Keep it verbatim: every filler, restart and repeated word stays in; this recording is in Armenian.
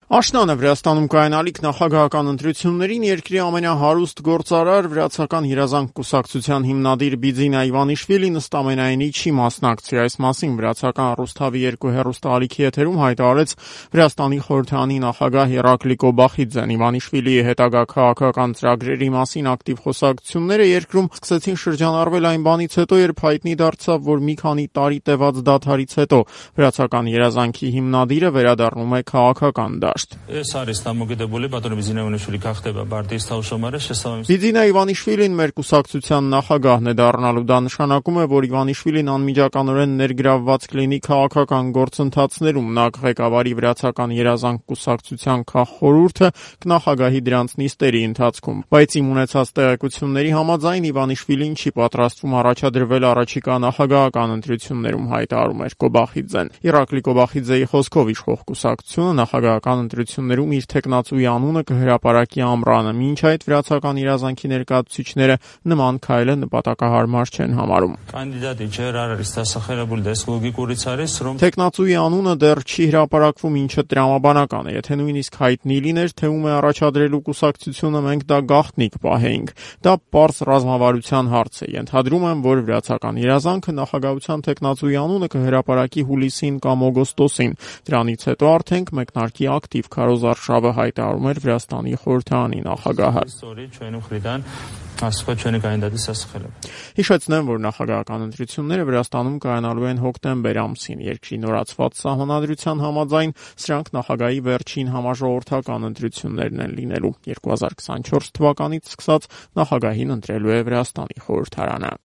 Աշնանը Վրաստանում կայանալիք նախագահական ընտրություններին երկրի ամենահարուստ գործարար վրացական երազանք կուսակցության հիմնադիր Բիձինա Իվանիշվիլին ըստ ամենայնի չի մասնակցի։ Այս մասին վրացական Ռուսթավի երկու հեռուստաալիքի եթերում հայտարարեց Վրաստանի խորհրդարանի նախագահ Էրակլի Կոբախիձեն։ Իվանիշվիլիի հետագա քաղաքական ծրագրերի մասին ակտիվ խոսակցությունները երկրում սկսեցին շրջանառվել այն բանից հետո, երբ հայտնի դարձավ, որ մի քանի տարի տևած դադարից հետո վրացական երազանքի հիմնադիրը վերադառնում է քաղաքական դաշտ։ Բիձինա Իվանիշվիլին մեր կուսակցության նախագահն է դառնալու։ Դա նշանակում է, որ Իվանիշվիլին անմիջականորեն ներգրավված կլինի քաղաքական գործընթացներում։ Նա կղեկավարի վրացական երազանք կուսակցության քաղխորհուրդը, կնախագահի դրանց նիստերի ընթացքում։ Բայց իմ ունեցած տեղեկությունների համաձայն Իվանիշվիլին չի պատրաստվում առաջադրվել առաջիկա նախագահական ընտրություններում, հայտարարում էր Կոբախիձեն։ Էրակլի Կոբախիձեի խոսքով իշխող կուսակցությունը նախագահական ընտրություններում իր թեկնածուի անունը կհրապարակի ամռանը։ Մինչ այդ վրացական երազանքի ներկայացուցիչները նման քայլը նպատակահարմար չեն համարում։ Թեկնածուի անունը դեռ չի հրապարակվում, ինչը տրամաբանական է։ Եթե նույնիսկ հայտնի լիներ, թե ում է առաջադրելու կուսակցությունը, մենք դա գաղտնիք պահեինք։ Դա պարզ ռազմավարության հարց է։ Ենթադրում եմ, որ վրացական երազանքը նախագահության թեկնածուի անունը կհրապարակի հուլիսին կամ օգոստոսին։ Դրանից հետո արդեն մեկնարկի ակտիվ քարոզարշավը, հայտարարում էր Վրաստանի խորհրդարանի նախագահը։ Հիշեցնեմ, որ նախագահական ընտրությունները Վրաստանում կայանալու են հոկտեմբեր ամսին։ Երկրի նորացված սահմանադրության համաձայն սրանք նախագահի վերջին համաժողովրդական ընտրություններն են լինելու։ երկու հազար քսանչորս թվականից սկսած նախագահին ընտրելու է Վրաստանի խորհրդարանը։